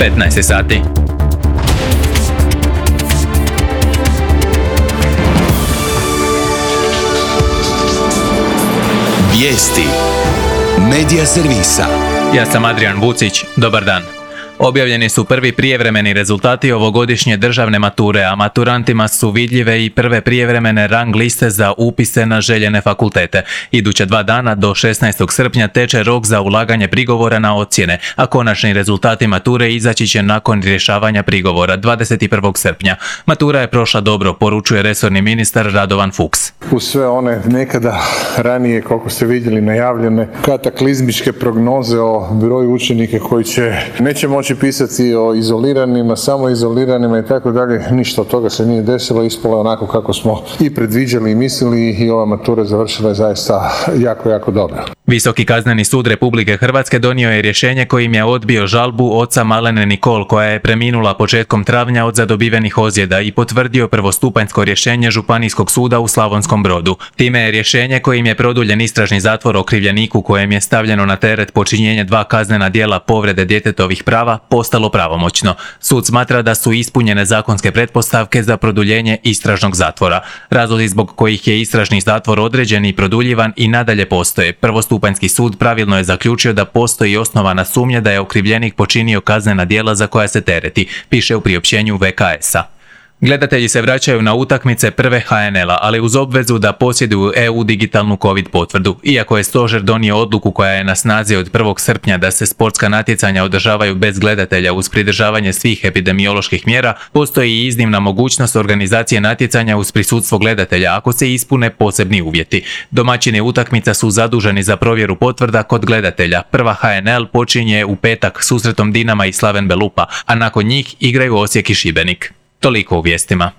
15 sati. Vijesti Medija servisa. Ja sam Adrian Vucić, dobar dan. Objavljeni su prvi prijevremeni rezultati ovogodišnje državne mature, a maturantima su vidljive i prve prijevremene rang liste za upise na željene fakultete. Iduća 2 dana do 16. srpnja teče rok za ulaganje prigovora na ocjene, a konačni rezultati mature izaći će nakon rješavanja prigovora 21. srpnja. Matura je prošla dobro, poručuje resorni ministar Radovan Fuchs. Uz sve one nekada ranije, koliko ste vidjeli, najavljene kataklizmičke prognoze o broju učenika koji neće moći pisati o izoliranima, samoizoliranima i tako dalje, ništa od toga se nije desilo, ispalo je onako kako smo i predviđali i mislili i ova matura završila je zaista jako, jako dobro. Visoki kazneni sud Republike Hrvatske donio je rješenje kojim je odbio žalbu oca Malene Nikol koja je preminula početkom travnja od zadobivenih ozljeda i potvrdio prvostupanjsko rješenje Županijskog suda u Slavonskom Brodu. Time je rješenje kojim je produljen istražni zatvor okrivljeniku kojem je stavljeno na teret počinjenje 2 kaznena djela povrede djetetovih prava postalo pravomoćno. Sud smatra da su ispunjene zakonske pretpostavke za produljenje istražnog zatvora. Razlozi zbog kojih je istražni zatvor određen i produljivan i nadalje postoje. Prvostupanjski sud pravilno je zaključio da postoji osnovana sumnja da je okrivljenik počinio kaznena djela za koja se tereti, piše u priopćenju VKS-a. Gledatelji se vraćaju na utakmice prve HNL-a, ali uz obvezu da posjeduju EU digitalnu COVID potvrdu. Iako je stožer donio odluku koja je na snazi od 1. srpnja da se sportska natjecanja održavaju bez gledatelja uz pridržavanje svih epidemioloških mjera, postoji i iznimna mogućnost organizacije natjecanja uz prisustvo gledatelja ako se ispune posebni uvjeti. Domaćini utakmica su zaduženi za provjeru potvrda kod gledatelja. Prva HNL počinje u petak susretom Dinama i Slaven Belupa, a nakon njih igraju Osijek i Šibenik. Toliko u vijestima.